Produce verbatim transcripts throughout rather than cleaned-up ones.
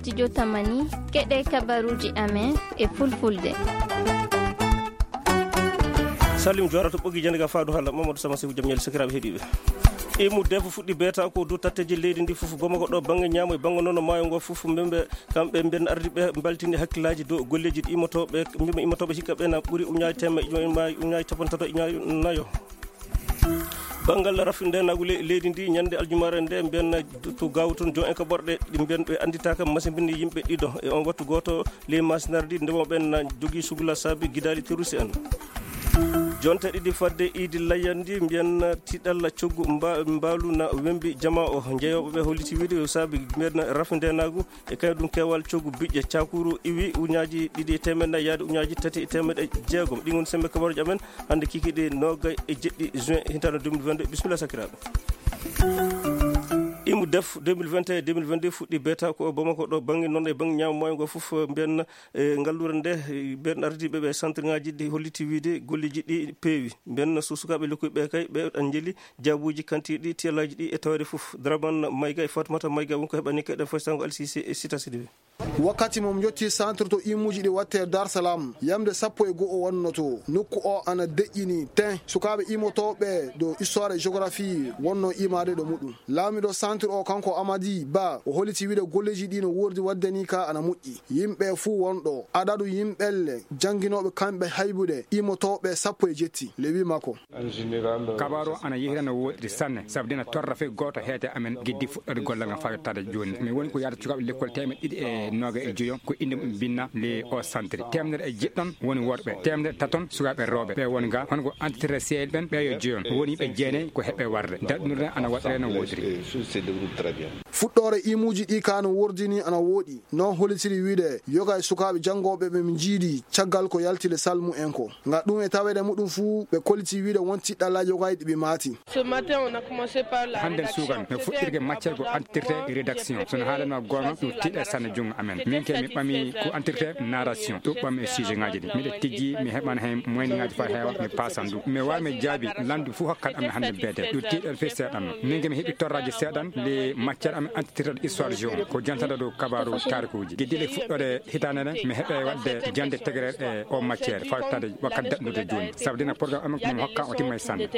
Studio Tamani, keɗe kabaruuji amen e Fulfulde. Salim Joora to ɓoggi jannde ga faadu hala Mamadou Sama Seku jam ñaali sakiraaɓe heɗiiɓe. Imu defo fuɗɗi beeta ko dow tatteeji leydi ndi fof, Bamako ɗo, bannge ñaamo e bannge noon maayo ngo fof, mbembe kamɓe mben ardi ɓe mbaltini hakkillaaji dow golleeji ɗi immotooɓe, mbembe immotooɓe hikka ɓe na ɓuri uñaaji teemedde, uñaaji capanɗe tato, uñaaji nayo. Banngal rafindeenaagu le-, leydi ndi, ñande aljumaare nde, mbiyen to Gaawo toon, jon en ko ɓorɗe, ɗi mbiyen ɓe annditaaka masimbini yimɓe ɗiɗo. E on wattu gooto, ley masinardi, ndemooɓe ɓen na jogii sugla saabi gidaali terroriste en. Jonte ɗiɗi fadde iidi layyandi, mbiyen tiiɗalla coggu mba-, mbaalu na wembi jama o. Jeyooɓe ɓe holliti wiide yo saabi mbiyen rafindeenaagu e kañum ɗum keewal coggu biƴƴe cakuru iwi uñaaji ɗiɗi e teemeɗɗe nayi yaade uñaaji tati e teemeɗɗe jeegom. Ɗi ngoni sembe kabaruuji amen hannde kikiiɗe noogay e jeɗɗi juin hitaande deux mille vingt-deux. Bisimilla sakiraaɓe. Imu def deux mille vingt et un deux mille vingt-deux fuɗɗi beeta ko o Bamako ɗo, bannge noon e bannge ñaamo maayo ngo fof, mbiyen, e ngalluure nde, e mbiyen ardiiɓe ɓe centre ŋaaji ɗi holliti wiide golleeji ɗi peewi. Mbiyen so sukaaɓe lekkoy ɓe kay, ɓe ɗan njeli jaabuuji kantiiɗi tiyalaaji ɗi e tawde fof. Draman Mayga e Fatmata Mayga won ko heɓani kay ɗen faysango Alsise e Sita Sidibe. Wakkati mo mi yotti centre to imuuji ɗi watte Dar Salam, yamde sappo e go'o wonnoto. Nokku o ana deƴƴini ten. Sukaaɓe imotooɓe ɗo histoire e géographie wonno imaade ɗo muɗum. Laamiɗo centre o, kanko Amadi Ba, o holliti wiide golleeji ɗi no woordi waɗde ni ka ana moƴƴi. Yimɓe fuu wonɗo, adadu yimɓelle jannginooɓe kamɓe haybude imotooɓe sappo e jetti. Le huit makko. Kabaaru o ana yehira no woɗɗi sanne, sabu dina torra fey gooto heede amen giddi fuɗɗoode gollal ngal faa yottaade jooni. Mi woni ko yaada cukaaɓe lekkol teemeɗɗe ɗiɗi e noogay e joyo, ko innde mum binna le o santiri. Teemedere e jeɗɗon woni worɓe, teemedere taton sukaaɓe rewɓe. Ɓe woni ga, hono ko entité C L ɓen, ɓe yo jeyon. Woni ɓe jeenay ko heɓɓe warde. Daɗɗunde ana waɗɗere no woɗɗiri. Fuɗɗoore imuuji ɗi ka no woordi ni ana wooɗi. Noon hollitiri wiide, yoga e sukaaɓe janngooɓe ɓe mi njiidi caggal ko yalti le salmu en ko. Nga ɗum e taweede muɗum fuu, ɓe kolliti wiide won tiɗɗallaaji yoga e ɗi ɓe maati. Ce matin, on a commencé par la Hannden rédaction. Suukan, no fuɗɗirde matière ko entité rédaction. So no haalanma goonga, ɗum tiiɗa e sanne junngo amen. Min ke mi ɓami ko entité narration. Ɗum ɓami e sujet ŋaaji ɗi. Miɗo tijji, mi heɓan heen moyen ŋaaji faa heewa, mi paasan ɗum. Mi waawi mi jaabi, landu fuu hokkat amen hannde beete. Ɗum tiiɗa fii seeɗan. Min ke mi heɓi torraaji seeɗan, le matière amen titre histoire géo ko jantata dow kabaaru taarikuuji. Giddiiɗe fuɗɗoode hitaande nden, mi heɓe waɗde jannde tegerere e o matière, fawtaade wakkati daɗndude jooni. Sabu dina programme amen ko mo hokka o timma e sanne.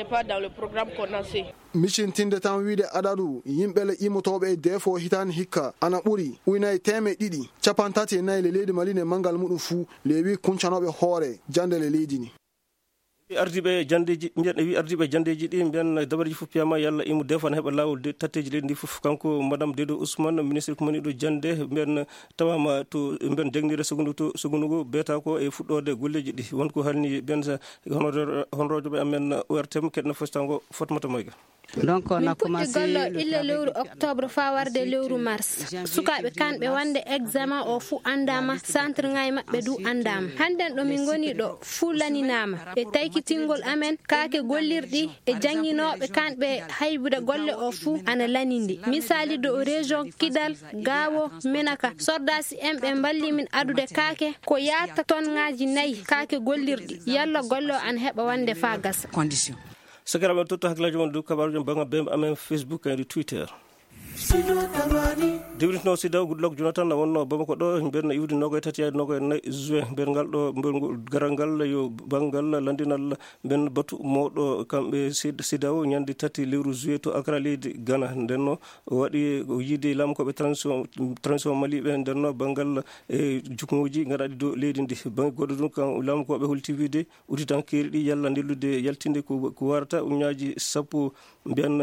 Micintinde tan wiide adadu yimɓe le imotooɓe e defo hitaande hikka ana ɓuri uynay teemeɗɗe ɗiɗi, cappanɗe tati e nayi le leydi Mali ne manngal muɗum fuu, le wi kuncanooɓe hoore jannde le leydi ni. Ardiiɓe janndeeji, mbiyen, wi ardiiɓe janndeeji ɗi, mbiyen dabareeji fof piyama yalla imu defo ana heɓa laawol de tatteeji leydi ndi fof. Kanko Madame Dedo Ousmane, ministre ko maniɗo jannde, mbiyen tawama to, mbiyen jagnire segundu to, segundu ngu beeta ko e fuɗɗoode golleeji ɗi. Won ko halni mbiyen sa, hono, honoroojo ɓe amen O R T M, keɗna fostango Fatmata Mayga. Donc, on a Min puɗɗi commencé gollo le illa travail lewru depuis octobre faa warde lewru mars. Sukaaɓe kanɓe wonde examen o fuu anndaama, centre ŋaaji maɓɓe du anndaama. Hannden ɗo min ngoni ɗo fuu laninaama. E taykitingol amen, kaake gollirɗi e jannginooɓe kanɓe haybude golle o fuu ana lanindi. Misaali dow région Kidal, Gaawo, Menaka. Sordaasi en ɓe mballi min adude kaake ko yaata ton ŋaaji nayi kaake gollirɗi. Yalla golle o ana heɓa wonde faa gasa. Condition. Sakiraaɓe, en totto hakkillaaji mon dow kabaaruuji banngal bembe amen Facebook e Twitter. Dewrintino Sidaw Goodluck Jonathan na wonno Bamako ɗo, mbeɗa iwdi nogoye tati yaade nogoye nayi juin. Mbeɗa ngal ɗo, mbeɗa ngol garal ngal yo banngal lanndinal, mbeɗa batu mawɗo kamɓe Sid-, Sidaw ñande tati lewru juillet to Accra, leydi Ghana. Nden no o waɗi o yiide laamu ko ɓe transition, transition Mali ɓe, nden no banngal e juknguuji gaɗaaɗi dow leydi ndi. Bannge goɗɗo ɗum, kan laamu ko ɓe holti wiide udditankeeri ɗi yalla nellude yaltinde ko, ko warata uñaaji sappo, mbiyan,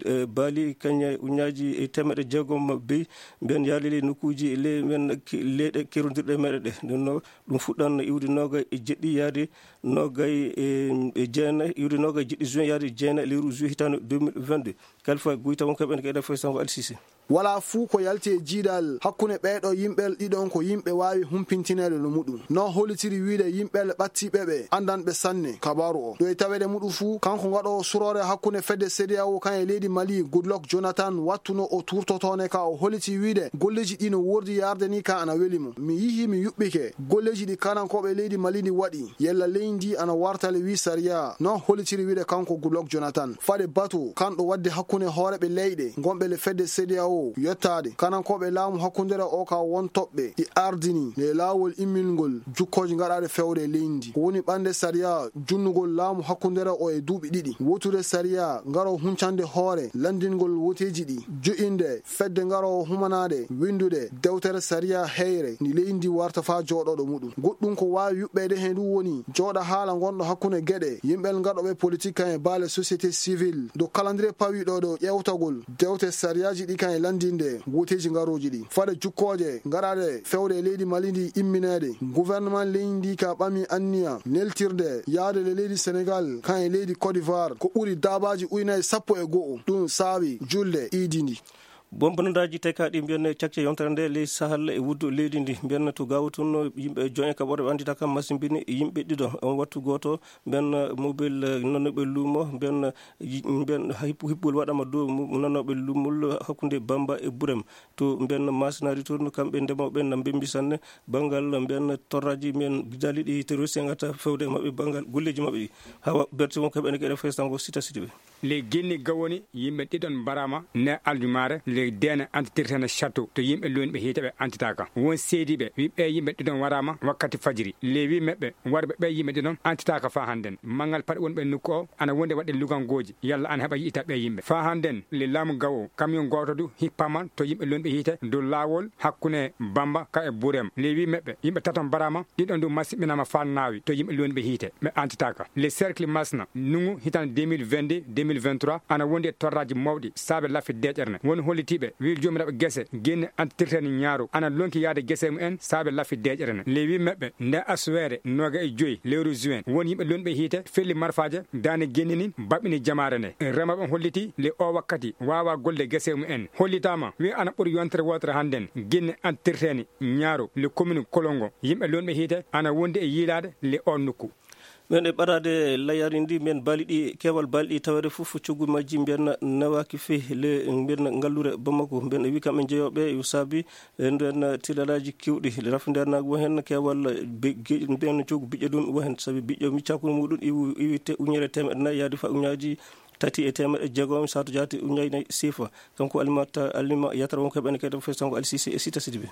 eh, baali kañe uñaaji e teemeɗɗe jeegom beyi, mbiyan yaade ley nokkuuji ley men ki-, leyɗe kerondirɗe meɗe ɗe. Ɗum no, ɗum fuɗɗan iwde noogay e jeɗɗi yaade noogay e, e jeenayi, iwde noogay e jeɗɗi juin yaade jeenayi lewru juillet hitaande deux mille vingt-deux. Kalfa Guyta won ko heɓen ko Eden Foy Sango Alsise. Walaa fuu ko yalti e jiidal hakkunde ɓee ɗoo yimɓe ɗiɗon ko yimɓe waawi humpintineede no muɗum. No hollitiri wiide yimɓe ɓattiiɓe ɓe anndanɓe sanne kabaaru o. Ɗo e taweede muɗum fuu, kanko ngaɗoowo suroore hakkunde fedde C D A O kan e leydi Mali, Goodluck Jonathan, wattuno o tuurtotoone ka o holliti wiide golleeji ɗi no woordi yaarde ni ka ana weli mo. Mi yihi mi yuɓɓike golleeji ɗi kanankooɓe leydi Mali ndi waɗi. Yalla leydi ndi ana warta le wi sariya. No hollitiri wiide kanko Goodluck Jonathan. Faade batu kanɗo waɗde hakkunde hooreeɓe leyɗe ngonɓe le fedde C D A O O yottaade kanankooɓe laamu hakkundere o ka won toɓɓe ɗi ardini e laawol immingol jukkooji gaɗaaɗe fewde e leydi ndi. Ko woni ɓannde sariya junnugol laamu hakkundere o e duuɓi ɗiɗi. Wotude sariya ngaro huncande hoore lanndingol woteeji ɗi. Jo'inde fedde ngaro humanaade winndude dewtere sariya heyre ndi leydi ndi warta faa jooɗooɗo muɗum. Goɗɗum ko waawi yuɓɓeede heen ɗum woni jooɗa haala ngonɗo hakkunde geɗe yimɓe ngaɗooɓe politik kan e baale société civile dow calendrier pawiiɗo ɗo ƴeewtagol dewte sariyaaji ɗi kan e lanndinde woteeji ngarooji ɗi. Fade jukkooje ngaraade fewde e leydi Mali ndi immineede, gouvernement leydi ndi ka ɓami anniya neltirde yaade le leydi Senegal kan e leydi Côte d'Ivoire ko ɓuri daabaaji ujunaaji sappo e go'o. Ɗum saawi julde iidi ndi. Bombonndaaji tekaaɗi mbiyen cakce yontere nde ley Sahel e wuddu leydi ndi mbiyen to Gaawo tun yimɓe joy e kaɓore ɓe anndita kam masimbini yimɓe ɗiɗo on wattu gooto mbiyen mobile nannooɓe luumo mbiyen mbiyen hippol waɗama dow nannooɓe luumol hakkunde Bamba e Burem to mbiyen masinari tun kamɓe ndemooɓe na mbembi sanne banngal mbiyen torraji mbiyen daliɗi terroriste ngata fewde e maɓɓe banngal golleeji maɓɓe ɗi hawa berti won kaɓe ene keɗe festango sita siti ɓe. Ley Guinée gawoni yimɓe ɗiɗon mbaraama ne aljumaare ley deene antitirtene château to yimɓe luunɓe hiite ɓe antitaaka. Won seediiɓe wi ɓee yimɓe ɗiɗon waraama wakkati fajiri. Ley wi meɓɓe warɓe ɓee yimɓe ɗiɗon antitaaka faa hannden. Manngal paɗe wonɓe nokku o ana wondi waɗde lugangooji yalla ana heɓa yi'ita ɓee yimɓe. Faa hannden ley laamu gawo camion gooto du hippaama to yimɓe luunɓe hiite dow laawol hakkunde Bamba ka e Burem. Ley wi meɓɓe yimɓe taton mbaraama ɗiɗon du masiɓɓinaama faa naawi to yimɓe luunɓe hiite ɓe antitaaka. Le cercle masna nungu hitande deux mille vingt-deux deux mille vingt-trois ana wondi e torraaji mawɗi saabe laffi deeƴere ne. Woni hollitiiɓe wi joomiraaɓe gese genne antitirteni ñaaru ana lonki yaade gese mumen saabe laffi deeƴere ne. Le wi meɓɓe nde asuweere nooga e joyi lewru juin woni yimɓe luunɓe hiite felli marfaaje daane genni nin baɓɓini jamaare nde. Remooɓe on holliti le o wakkati waawa golde gese mumen hollitaama wi ana ɓuri yontere wootere hannden genne antitirteni ñaaru le commune Kolongo yimɓe luunɓe hiite ana wondi e yiilaade le o nokku. Ɓen e ɓadaade layari ndi mbiyen baali ɗi keewal baali ɗi taweede fof coggu majji mbiyen nawaaki fii le mbiyen ngallure Bamako mbiyen e wi kamɓe jeyooɓe yo saabi e nden tilalaaji kewɗi rafindeernaagu wo heen keewal mbiyen coggu biƴƴe ɗum wo heen sabi biƴƴo miccakuru muɗum iwi iwi te uñere teemeɗe nayi yaadi fa uñaaji tati e teemeɗe jeegom saatu jaati uñaaji nayi siifa kanko alimata alima yatara wonko heɓene kadi fes kanko alisisi e sita sidi ɓe.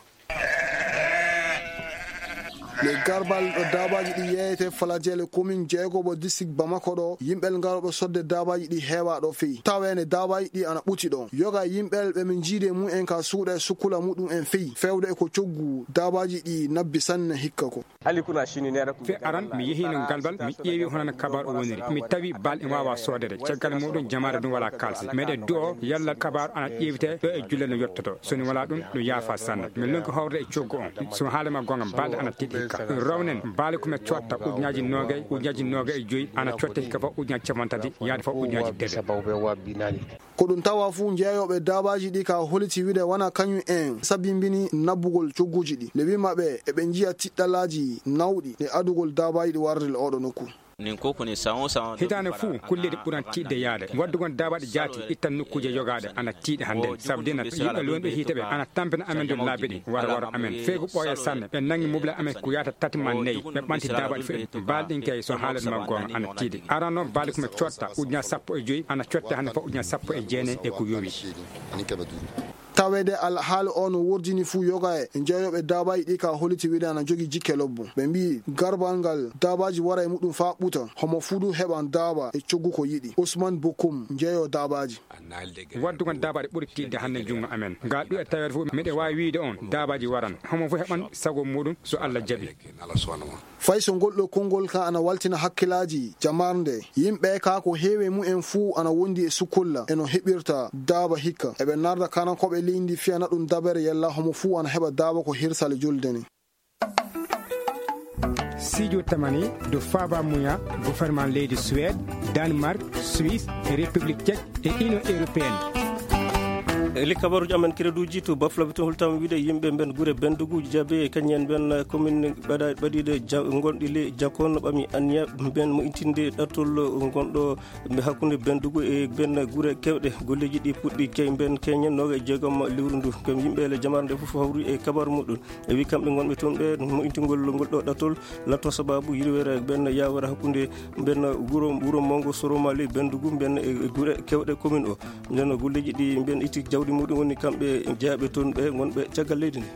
Le garbal ɗo daabaaji ɗi yeeyete falajele komin jeegobo disik bamako ɗo yimɓel ngarooɓe sodde daabaaji ɗi heewaa ɗo feyi taweende daabaaji ɗi ana ɓuti ɗo yoga yimɓel ɓe min jiide mum en ka suuɗa e sukkula muɗum en feyi fewde e ko coggu daabaaji ɗi nabbi sanne hikka ko. Fe aran mi yehiino galbal mi ƴeewi hono no kabaaru woniri mi tawi bal en waawa soodere caggal muɗum jamaare ɗum wala kalsi meɗe du'o yalla kabaaru ana ƴeewte ɗo e julle no yettoto soni wala ɗum ɗum yaafa sanne mi lonki howre e coggu on so haalama gonga balɗe ana tiiɗi hikka rawnen baali ko mi cotta ujunaji noogay ujunaji noogay e joyi ana cotta hikka fof ujunaji capantati yaade fof ujunaji debe. Ko ɗum tawa fuu jeeyooɓe daabaaji ɗi ka holiti wide wona kañum en sabimbini nabbugol cogguuji ɗi nde wima ɓe eɓe njiya tiɗɗalaaji nawɗi e adugol daabaaji ɗi warde le oɗo nokku. Hitaande fuu kulleeji ɓuran tiiɗde yaade waɗdugol daabaaji jaati ittan nokkuuje yogaaɗe ana tiiɗi hannden sabu dina yimɓe luunɓe hiite ɓe ana tampina amen dow laabi ɗi wara wara amen feygu ɓooya sanne ɓe nangi mobile amen ko yaata tati ma nayi ɓe ɓanti daabaaji feɗɗi baali ɗin kay so haalani ma goonga ana tiiɗi arano baali ko mi cotta ujunaaji sappo e joyi ana cotte hannde fof ujunaaji sappo e jeenayi e ko yowi. Taweede alhaali o no wordini fuu yoga e jeeyooɓe daabaaji ɗi ka holiti wide ana jogii jikke lobbo ɓe mbiyi garbal ngal daabaaji wara e muɗum faa ɓuta homo fuu du heɓan daaba e coggu ko yiɗi usman bokum jeeyoo daabaaji. Waɗdugol daabaaji ɓuri tiiɗde hannde junngo amen ngaa ɗum e taweede fof miɗo waawi wiyde on daabaaji waran homo fof heɓan sago muɗum so allah jaɓi. Fay so ngol ɗoo konngol ka ana waltina hakkilaaji jamarnde yimɓe ka ko heewi e mumen fuu ana wondi e sukkulla e no heɓirta daaba hikka eɓe narda kanankooɓe leydi ndi fiyana ɗum dabere yalla homo fuu ana heɓa daaba ko hirsale julde ni. Sijo tamani do faba muya gouvernement leydi Suède, Danemark, Suisse e République Tchèque e Union Européenne. E li kabaruji amen kreduji to baflaɓe to holtama wiide yimɓe mben guure bendugu jabe e kañen mben commune ɓaɗa ɓaɗiɗe gonɗi le jakon ɓami anniya mben mo intinde ɗattol gonɗo mbe hakkunde bendugu e ben guure kewɗe golleji ɗi puɗɗi key mben keñen noga e jeegom lewru ndu kam yimɓe le jamare nde fof hawri e kabaru muɗum. E wi kamɓe gonɓe toon ɓe moƴƴingol ngol ɗo ɗatol latto sababu yirwere ɓen yawere hakkunde ɓen wuro wuro mongo soromali bendugu ɓen e gure kewɗe commune o. Nden golleji ɗi ɓen itti jawdi Ɗi muɗum woni kamɓe jeyaaɓe toon ɓe ngonɓe caggal leydi ndi.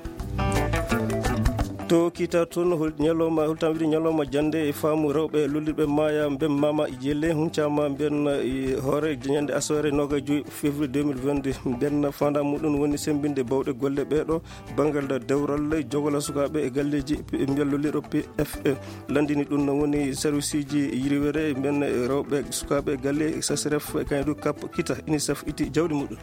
To kiita toon, hol ñalawma, holtam wiide ñalawma jannde e faamu rewɓe lollirɓe maaya mbemmama jelle huncaama mben e hoore ñande asawaare noogaas e joy février deux mille vingt-deux. Mben faandaare muɗum woni semmbinde bawɗe golle ɓeeɗo banngal dewral, jogola sukaaɓe e galleeji e mbiyal lollirɗo P F E. Lanndini ɗum no woni serviceeji yirwere mben rewɓe sukaaɓe galle, S A S R F, kañum du kap kita, UNICEF itti jawdi muɗum.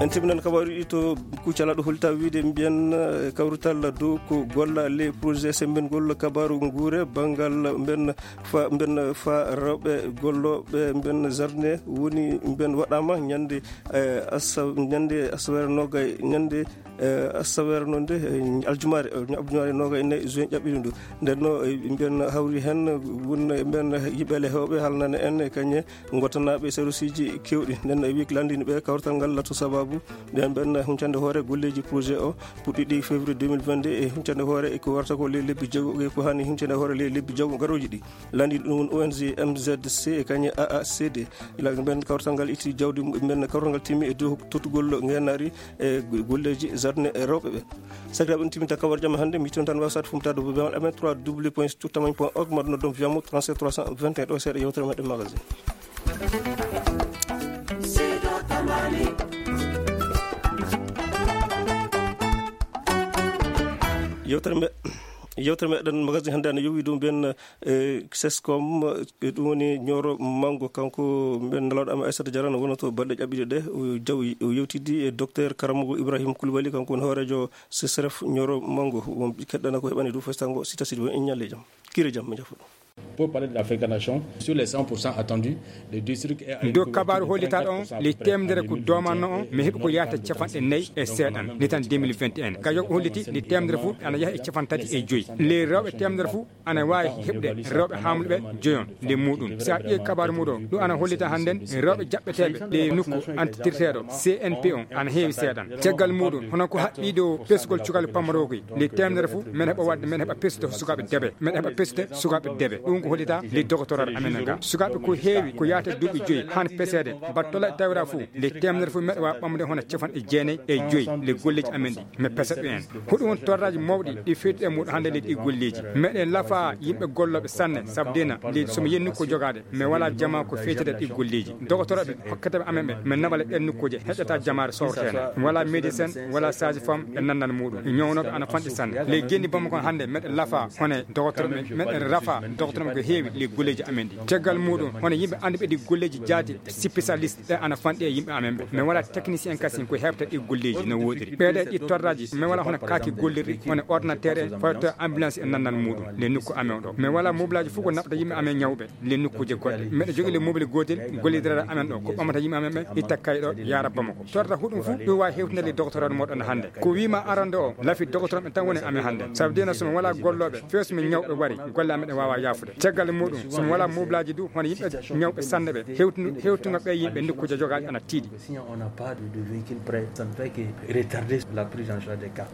En timminan kabaaruuji ɗi to Kucala ɗo holta wiide mbiyen, eh, kawrital dow ko golla les projets semmbingol kabaaru nguure banngal mben fa, mben fa rewɓe gollooɓe mben jardin woni mben waɗaama ñande, eh, asa-, ñande asaweere noogay, ñande, eh, asaweere noon de, eh, aljumaare, eh, aljumaare noogay e nayi juin ƴaɓɓiɗo ndu. Nden no, eh, mben hawri heen won mben yimɓe le heewɓe haalnana en e kañe ngottanaaɓe serviceeji keewɗi. Nden o wi ko lanndini ɓe kawrital ngal lato sababu ɓen ɓen huncande hoore golleeji projet o puɗɗiɗi février deux mille vingt-deux e huncande hoore e ko warata ko ley lebbi jeego e ko hani huncande hoore ley lebbi jeego garooji ɗi. Lanndini ɗum woni O N G M Z C e kañe A A C D. Ila ɓen kawrital ngal itti jawdi mum, ɓen kawrital ngal timmi e dow tottugol ngeenaari e golleeji jardin e rewɓe ɓe. Sakiraaɓe, ɗum timminta kabar jam hannde. Mi ton tan wasat fumtade bo bemal amen trois W point sud tamani point org, maɗum noddum via mo trente-sept trois cent vingt et un ɗo seeɗa yewtere meɗen magazine. Yewtere me-, yewtere meɗen magazine hannde ana yowi ɗum ɓen, eh, sescom, eh, ɗum woni Ñooro Manngo, kanko mben nalawɗo amen Aissata Diarra, no wonata balɗe ƴaɓɓiɗe ɗe, o jawi, o yewtidi e docteur Karamogo Ibrahim Koulibaly, kanko woni hooreejo S S R F Ñooro Manngo. Won keɗɗana ko heɓani ɗum festango sita sidi won en ñalle jam. Kire jam, mi jafo. Pour parler de la fréquentation, sur les cent pour cent attendus, le district est à ndo kabaaru hollitaɗo on, le temedere ko domanno on, mi heɓi ko yahata capanɗe nayi e seeɗan, nitan deux mille vingt et un. Ka yo holliti, le temedere fu ana yaha e capantati e joyi. Le rewɓe temedere fu ana waawi heɓde rewɓe haamluɓe joyon le muɗum. Si a ƴeewi kabaaru muɗum, ɗum ana hollita hannden rewɓe jaɓɓeteeɓe ɗe nokku antitirteeɗo C N P on ana heewi seeɗan. Caggal muɗum, hono ko haɓɓi ɗo pesgol cukalɓe pamrookoy, le temedere fu, men heɓa waɗde, men heɓa pesde sukaaɓe debe, men heɓa pesde sukaaɓe debe. Ɗum ko hollita le doctorat amen ga. Sukaaɓe ko heewi, ko yaata duuɓi joyi, han peseede, battola e tawira fu, le temedere fu meɗa waawi ɓamde hono capanɗe jeenayi e joyi le golleeji amen ɗi. Mi pesa ɗum en. Hoɗum woni torraaji mawɗi ɗi feewti e muɗum hannde leydi ɗi golleeji. Meɗen lafa yimɓe gollooɓe sanne, sabu dena leydi somi yenni ko jogaade, mi wala jama ko feewtata ɗi golleeji. Dogotorooɓe hokkataɓe amen ɓe, mi naɓala ɗen nokkuuje, heƴata jamaare sowrteene. Wala médecin, wala sage-femme e nannal muɗum. Ñawnooɓe ana fanɗi sanne. Ley genni Bamako hannde, meɗen lafa hono dogotorooɓe, meɗen rafa dogotorooɓe ko heewi ley golleeji amen ɗi. Caggal muɗum, hono yimɓe annduɓe ɗi golleeji jaati spécialiste. Ɓe ana fanɗi e yimɓe amen ɓe. Mi wala technicien kasin ko heɓta ɗi golleeji no woodiri. Ɓeeɗe ɗi torraji, mi wala hono kaaki gollirɗi, hono ordinateur en, fayto ambulance e nannal muɗum, le nokku amen ɗo. Mi wala mobilaaji fof ko naɓta yimɓe amen ñawɓe, le nokkuuje goɗɗe. Meɗa jogii le mobile gootel, gollidere amen ɗo, ko ɓamata yimɓe amen ɓe, itta kay ɗo, yaara Bamako. Torta huɗum fof, ɗum wawi hewtinande le doctorat moɗon hannde. Ko wima arande o, lafi doctorat ɓe tan woni amen hannde. Sabu dena somi wala gollooɓe, few somi ñawɓe wari, golle amen ɗe wawa yaafude. Caggal muɗum, somi wala mobilaaji du, hono yimɓe ñawɓe sanne ɓe, hewtinu-, hewtungo ɓe yimɓe nokkuuje jogaaɗe ana tiiɗi. Mais si on n'a pas de, de véhicule prêt, ça ne fait que retarder la prise en charge des cas.